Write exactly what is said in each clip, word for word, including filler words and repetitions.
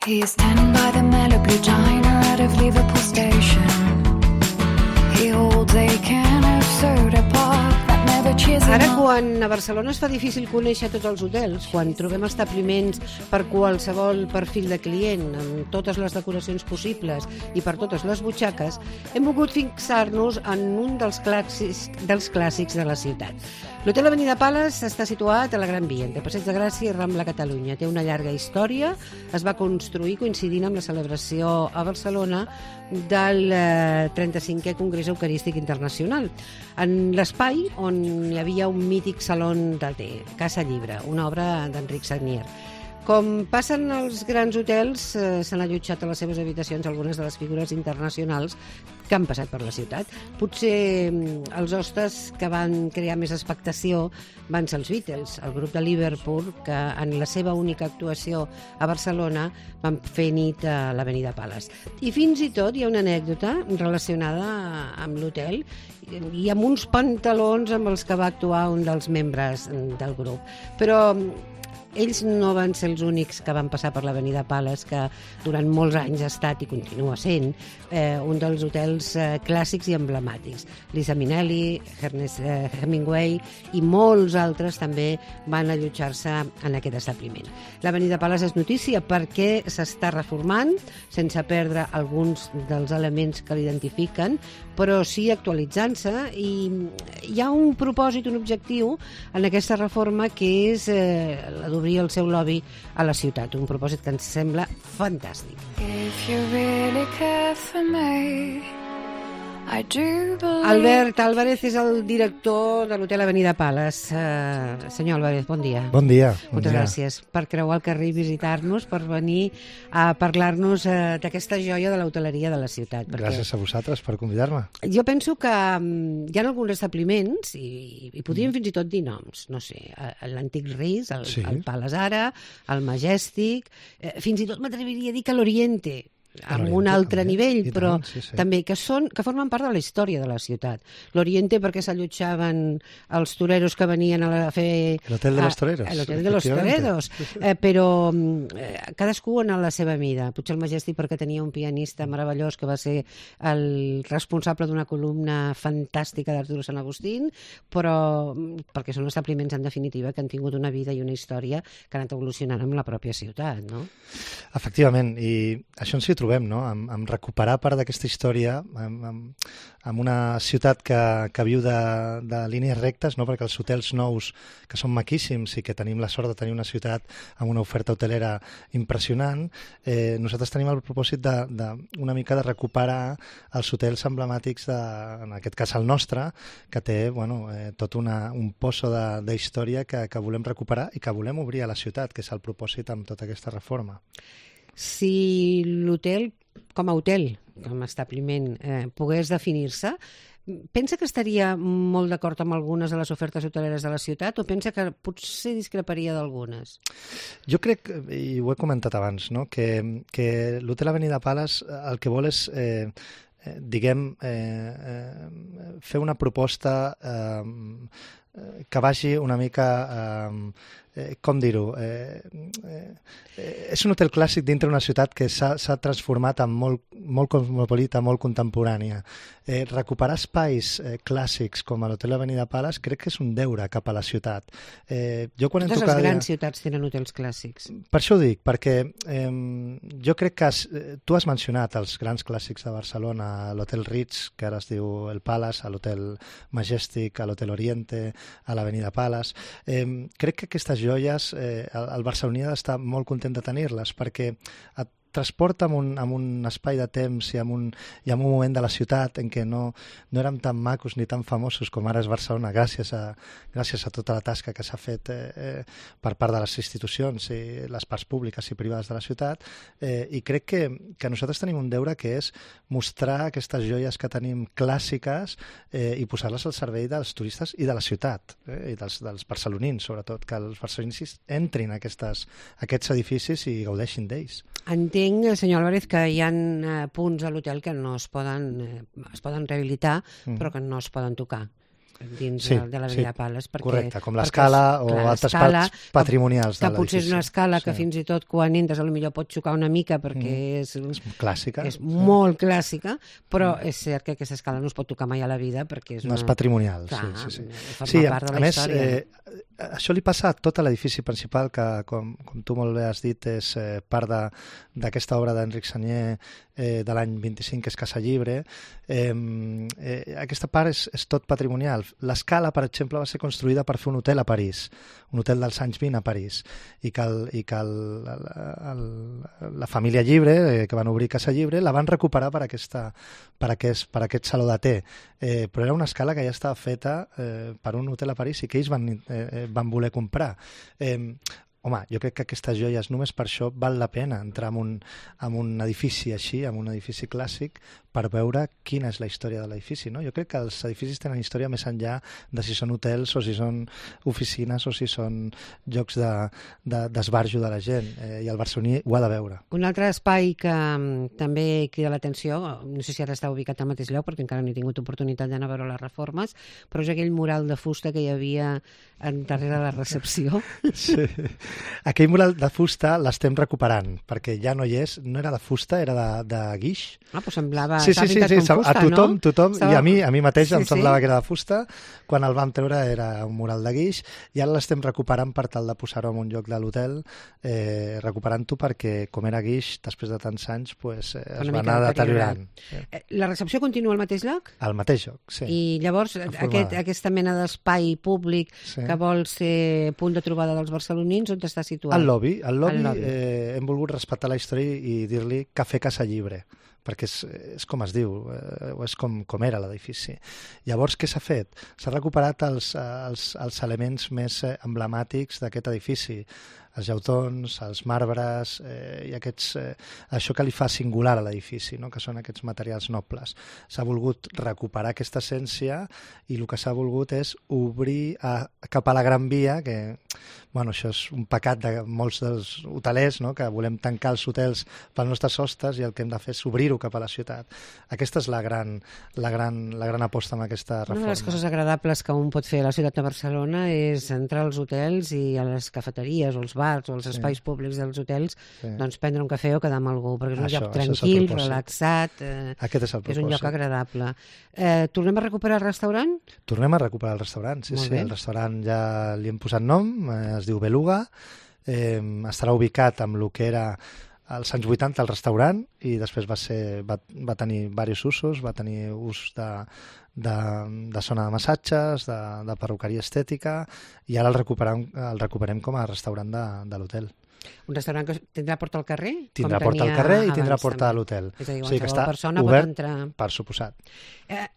He is standing by the Malibu diner out of Liverpool station. He holds a can of soda pop that never cheers him Ara, up. quan a Barcelona es fa difícil conèixer tots els hotels, quan trobem establiments per qualsevol perfil de client, amb totes les decoracions possibles i per totes les butxaques, hem volgut fixar-nos en un dels clàssics, dels clàssics de la ciutat. L'Hotel Avenida Palace està situat a la Gran Via, entre Passeig de Gràcia i Rambla Catalunya. Té una llarga història, es va construir coincidint amb la celebració a Barcelona del eh, trenta-cinquè Congrés Eucarístic Internacional, en l'espai on hi havia un mític salon de té, Casa Llibre, una obra d'Enric Sagnier. Com passen als grans hotels, eh, s'han allotjat a les seves habitacions algunes de les figures internacionals que han passat per la ciutat. Potser mm, els hostes que van crear més expectació van ser els Beatles, el grup de Liverpool, que en la seva única actuació a Barcelona van fer nit a l'Avenida Palace. I fins i tot hi ha una anècdota relacionada amb l'hotel i amb uns pantalons amb els que va actuar un dels membres del grup. Però ells no van ser els únics que van passar per l'Avenida Palace, que durant molts anys ha estat i continua sent eh, un dels hotels eh, clàssics i emblemàtics. Liza Minnelli, Ernest eh, Hemingway i molts altres també van allotjar-se en aquest establiment. L'Avenida Palace és notícia perquè s'està reformant sense perdre alguns dels elements que l'identifiquen, però sí actualitzant-se, i hi ha un propòsit, un objectiu en aquesta reforma, que és eh, la d'obrir el seu lobby a la ciutat, un propòsit que ens sembla fantàstic. If you really care for me, I do believe... Albert Álvarez és el director de l'Hotel Avenida Palace. Uh, senyor Álvarez, bon dia. Bon dia. Bon Moltes dia. gràcies per creuar el carrer i visitar-nos, per venir a parlar-nos uh, d'aquesta joia de l'hoteleria de la ciutat. Perquè Gràcies a vosaltres per convidar-me. jo penso que um, hi ha alguns establiments, i, i podríem fins i tot dir noms, no sé, l'Antic Ris, el, Sí. el Palace Ara, el Majestic, eh, fins i tot m'atreviria a dir que l'Oriente, amb un L'Oriente, altre també. nivell, I però tant, sí, sí. també que, són, que formen part de la història de la ciutat. L'Oriente perquè s'allotjaven els toreros que venien a fer... L'Hotel de los a- Toreros, a L'Hotel de los efectivamente. Toreros, eh, però eh, cadascú en la seva mida. Potser el Majestic perquè tenia un pianista meravellós que va ser el responsable d'una columna fantàstica d'Arturo Sant Agustín, però mm, perquè són establiments, en definitiva, que han tingut una vida i una història que han anat evolucionant amb la pròpia ciutat, no? Efectivament, i això ens hi trobem, no? Amb, amb recuperar part d'aquesta història, amb, amb, amb una ciutat que, que viu de, de línies rectes, no? Perquè els hotels nous, que són maquíssims i que tenim la sort de tenir una ciutat amb una oferta hotelera impressionant, eh, nosaltres tenim el propòsit de, de una mica de recuperar els hotels emblemàtics, de, en aquest cas el nostre, que té bueno, eh, tot una, un pozo de, de història que, que volem recuperar i que volem obrir a la ciutat, que és el propòsit amb tota aquesta reforma. Si l'hotel, com a hotel, com a establiment, eh, pogués definir-se, pensa que estaria molt d'acord amb algunes de les ofertes hoteleres de la ciutat o pensa que potser discreparia d'algunes? Jo crec, i ho he comentat abans, no? que, que l'Hotel Avenida Palace el que vol és, eh, eh, diguem, eh, eh, fer una proposta eh, que vagi una mica... Eh, eh, com dir-ho, eh, eh, eh, és un hotel clàssic dintre una ciutat que s'ha transformat en molt, molt cosmopolita, molt contemporània. Eh, recuperar espais eh, clàssics com a l'Hotel Avenida Palace crec que és un deure cap a la ciutat. Eh, jo quan Totes entro les cada grans dia... ciutats tenen hotels clàssics. Per això ho dic, perquè eh, jo crec que has, eh, tu has mencionat els grans clàssics de Barcelona, l'Hotel Ritz, que ara es diu el Palace, a l'Hotel Majestic, a l'Hotel Oriente, a l'Avenida Palace. Eh, crec que aquestes joies, eh, el, el barceloní ha d'estar molt content de tenir-les, perquè et transporta amb un, amb un espai de temps i amb, un, i amb un moment de la ciutat en què no, no érem tan macos ni tan famosos com ara és Barcelona, gràcies a, gràcies a tota la tasca que s'ha fet eh, eh, per part de les institucions i les parts públiques i privades de la ciutat, eh, i crec que, que nosaltres tenim un deure que és mostrar aquestes joies que tenim clàssiques eh, i posar-les al servei dels turistes i de la ciutat, eh, i dels, dels barcelonins, sobretot, que els barcelonins entrin a aquestes, a aquests edificis i gaudeixin d'ells. Entenc, senyor Álvarez, que hi ha eh, punts a l'hotel que no es poden, eh, es poden rehabilitar, mm. però que no es poden tocar. dins Sí, de, de l'Avenida sí, Pales. Perquè, correcte, com perquè l'escala és- o clar, altres l'escala, parts patrimonials que, de que potser és l'edifici. una escala que Sí. fins i tot quan entres potser pot xocar una mica perquè és, És clàssica. és molt clàssica, però és cert que aquesta escala no es pot tocar mai a la vida perquè és No una... és patrimonial, Clar, sí, sí, sí. forma Sí, part de a la més, història. eh, això li passa a tot l'edifici principal, que, com, com tu molt bé has dit, és eh, part de- d'aquesta obra d'Enric Sagnier eh, de l'any vint-i-cinc, que és Casa Llibre. Eh, eh, aquesta part és, és tot patrimonial. L'escala, per exemple, va ser construïda per fer un hotel a París, un hotel dels anys vint a París, i que, el, i que el, el, el, la família Llibre, eh, que van obrir Casa Llibre, la van recuperar per, aquesta, per, aquest, per aquest saló de té. Eh, però era una escala que ja estava feta eh, per un hotel a París i que ells van, eh, van voler comprar. Eh, home, jo crec que aquestes joies, només per això val la pena entrar en un, en un edifici així, en un edifici clàssic, per veure quina és la història de l'edifici, no? Jo crec que els edificis tenen història més enllà de si són hotels o si són oficines o si són llocs d'esbarjo de, de, de la gent, eh, i el barceloní ho ha de veure. Un altre espai que um, també crida l'atenció, no sé si ara està ubicat al mateix lloc perquè encara no he tingut oportunitat d'anar a veure les reformes, però és aquell mural de fusta que hi havia en darrere la recepció. Sí. Aquell mural de fusta l'estem recuperant, perquè ja no hi és, no era de fusta, era de, de guix. Ah, doncs semblava... Sí, sí, sí, sí, fusta, a tothom, no? tothom, Estava... i a mi, a mi mateix sí, em semblava sí. que era de fusta, quan el vam treure era un mural de guix, i ara l'estem recuperant per tal de posar-ho en un lloc de l'hotel, eh, recuperant-ho perquè, com era guix, després de tants anys, pues, eh, es va anar deteriorant. Eh, La recepció continua al mateix lloc? Al mateix lloc, sí. I llavors aquest, aquesta mena d'espai públic sí. que vol ser punt de trobada dels barcelonins, on està situat? Al lobby, al lobby, al lobby. Eh, hem volgut respectar la història i dir-li Cafè Casa Llibre, perquè és, és com es diu, eh, o és com, com era l'edifici. Llavors, què s'ha fet? S'ha recuperat els, els, els elements més emblemàtics d'aquest edifici, els llautons, els marbres, eh, i aquests, eh, això que li fa singular a l'edifici, no? Que són aquests materials nobles. S'ha volgut recuperar aquesta essència i el que s'ha volgut és obrir a, cap a la Gran Via, que bueno, això és un pecat de molts dels hotelers, no? Que volem tancar els hotels pels nostres hostes i el que hem de fer és obrir-ho cap a la ciutat. Aquesta és la gran, la gran, la gran aposta amb aquesta reforma. Una de les coses agradables que un pot fer a la ciutat de Barcelona és entrar als hotels i a les cafeteries o als bars o als Sí. espais públics dels hotels, Sí. doncs prendre un cafè o quedar amb algú, perquè és un Això, lloc això és el tranquil, propòsit. relaxat, eh, Aquest és el és un lloc propòsit. agradable. Eh, tornem a recuperar el restaurant? Tornem a recuperar el restaurant, sí, Molt sí. bé. El restaurant ja li hem posat nom, eh, es diu Beluga, eh, estarà ubicat amb el que era als anys vuitanta el restaurant i després va, ser, va, va tenir diversos usos, va tenir ús de, de, de zona de massatges, de, de perruqueria estètica, i ara el recuperem, el recuperem com a restaurant de, de l'hotel. Un restaurant que tindrà porta al carrer? Tindrà com porta al tenia carrer i abans, tindrà porta a també. l'hotel. És a dir, O sigui que qualsevol està persona pot obert, entrar... per suposat. Eh,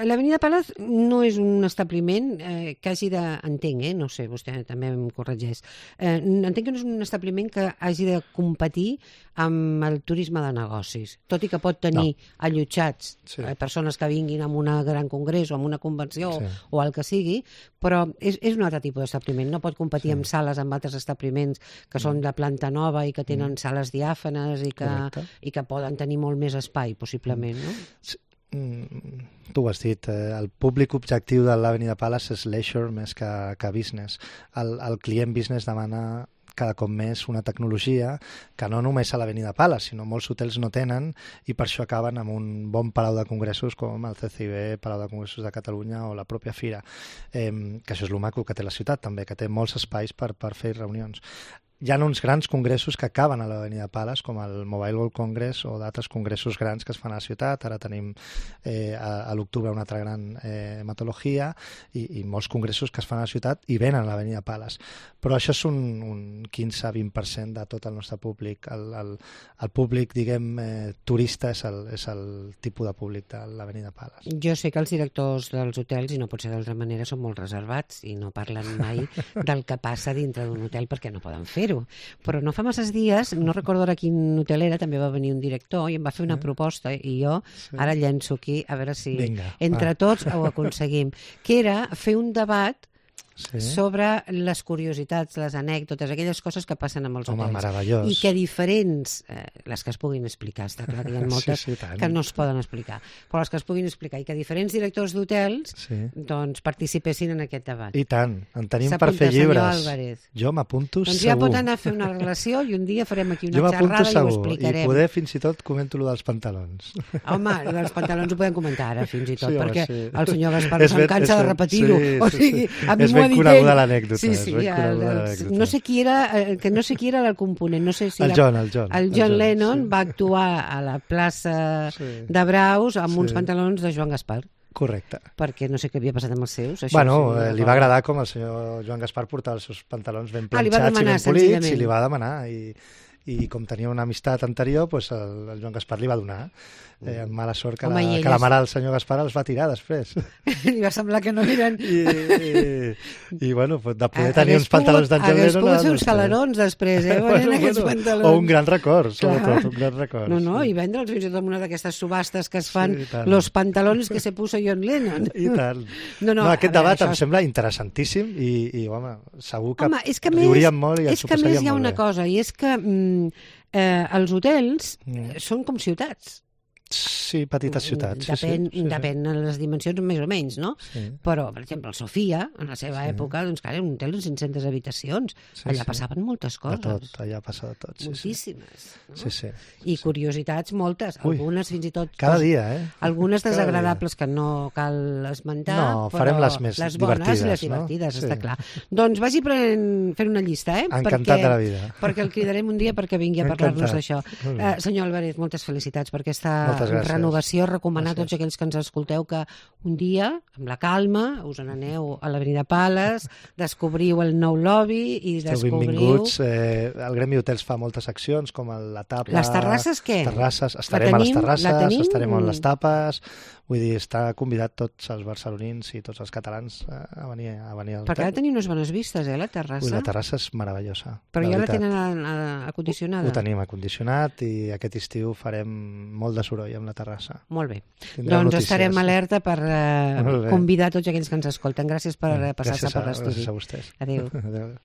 L'Avenida Pales no és un establiment eh, que hagi de... Entenc, eh? No sé, vostè també em corregeix. Eh, entenc que no és un establiment que hagi de competir amb el turisme de negocis, tot i que pot tenir no. allotjats Sí. eh, persones que vinguin a un gran congrés o a una convenció Sí. o el que sigui, però és, és un altre tipus d'establiment. No pot competir Sí. amb sales amb altres establiments que són de planta nova i que tenen mm. sales diàfanes i que, Correcte. i que poden tenir molt més espai, possiblement, no? Sí. Mm, tu ho has dit, eh, el públic objectiu de l'Avenida Palace és leisure més que, que business. El, el client business demana cada cop més una tecnologia que no només a l'Avenida Palace, sinó molts hotels no tenen i per això acaben amb un bon palau de congressos com el C C I B, Palau de Congressos de Catalunya o la pròpia Fira, eh, que això és el maco que té la ciutat també, que té molts espais per, per fer reunions. Hi ha uns grans congressos que acaben a l'Avenida Palace, com el Mobile World Congress o d'altres congressos grans que es fan a la ciutat. Ara tenim eh, a, a l'octubre una altra gran eh, hematologia i, i molts congressos que es fan a la ciutat i venen a l'Avenida Palace. Però això és un, un quinze a vint per cent de tot el nostre públic. El, el, el públic, diguem, eh, turista és el, és el tipus de públic de l'Avenida Palace. Jo sé que els directors dels hotels, i no pot ser d'altra manera, són molt reservats i no parlen mai del que passa dintre d'un hotel perquè no poden fer-ho. Però no fa masses dies, no recordo ara quin hotel era, també va venir un director i em va fer una proposta i jo Sí. ara llenço aquí a veure si Vinga, entre va. tots ho aconseguim, que era fer un debat sí. sobre les curiositats, les anècdotes, aquelles coses que passen amb els Home, hotels. meravellós. I que diferents, eh, les que es puguin explicar, està clar que hi ha moltes sí, sí, tant. que no es poden explicar, però les que es puguin explicar, i que diferents directors d'hotels Sí. doncs participessin en aquest debat. I tant, en tenim per S'apunta, fer senyor llibres. Álvarez. Jo m'apunto Doncs segur. ja pot anar a fer una relació i un dia farem aquí Jo una m'apunto xerrada i ho segur. explicarem. I poder fins i tot comento lo dels pantalons. Home, els pantalons ho podem comentar ara, fins i tot, Sí, home, perquè sí. el senyor Gaspar És se'n ben- cansa és de ben- repetir-ho. sí, O sí, sigui, sí. a mi És m'ho ha ben dit coneguda ell. l'anècdota, Sí, és sí, ben el, coneguda el, l'anècdota. no sé qui era, eh, que no sé qui era el component, no sé si El era... John, el John. El el John John, Lennon sí. va actuar a la plaça Sí. de Braus amb Sí. uns pantalons de Joan Gaspar, Correcte. perquè no sé què havia passat amb els seus. Això Bueno, sí, eh, li una va cosa. agradar com el senyor Joan Gaspar portava els seus pantalons ben Ah, li va planxats i demanar, ben polits, senzillament. i li va demanar. I, i com tenia una amistat anterior, pues el, el Joan Gaspar li va donar. Eh, amb mala sort que, Home, i la, ell que la és- mare del senyor Gaspar els va tirar després. Li va semblar que no eren... I, i, i bueno, pues de poder Ha- tenir hagués uns pantalons d'en pogut- John Hagués Lennon... pogut ara fer no uns sé. calarons després, eh? Bueno, aquests pantalons. o un gran record, Clar. sobretot, un gran record. No, no, sí. i vendre'ls fins i tot en una d'aquestes subhastes que es fan, Sí, i tant. los pantalones que se puso John Lennon. I tant. No, no, no, aquest a veure, debat això em és- sembla interessantíssim i, i home, segur que, Home, és que a més, riuríem molt i ens és ho que a més passaríem hi ha molt una bé. cosa, i és que mm, eh, els hotels Mm. eh, són com ciutats. Sí, petites ciutats. Depèn, sí, sí, sí, depèn de les dimensions més o menys, no? Sí. Però, per exemple, el Sofia, en la seva Sí. època, doncs, clar, era un hotel de cinc-centes habitacions. Sí, Allà sí. passaven moltes De coses. tot, allà passa de tot. Sí, sí. Moltíssimes. No? Sí, sí. I curiositats moltes, Ui. algunes fins i tot... Cada dia, eh? Algunes Cada desagradables que no cal esmentar, No, però farem les més les bones i les divertides, no? divertides, Sí. està clar. Doncs vagi prenent, fent una llista, eh? Encantat perquè, de la vida. Perquè el cridarem un dia perquè vingui a parlar-nos Encantat. d'això. Molt bé. Uh, senyor Álvarez, moltes felicitats per aquesta Moltes gràcies. renovació. Recomanar a Gràcies. tots aquells que ens escolteu que un dia, amb la calma, us n'aneu a l'Avenida Pales, descobriu el nou lobby i Esteu descobriu... benvinguts. Eh, el Gremi Hotels fa moltes accions, com el, la tapa... Les terrasses, què? Terrasses. La Estarem a les tenim? La terrasses, tenim? estarem a les tapes... Vull dir, està convidat tots els barcelonins i tots els catalans a venir, a venir al Perquè ha de hotel. tenir unes bones vistes, eh, la terrassa. Ui, la terrassa és meravellosa. Però ja la veritat. tenen a, a, acondicionada. Ho tenim acondicionat i aquest estiu farem molt de soroll amb la terrassa. Molt bé. Tindreu Doncs notícies. estarem alerta per eh, Molt bé. convidar tots aquells que ens escolten. Gràcies per eh, passar-se Gràcies per a, l'estudi. gràcies a vostès. Adéu. Adéu.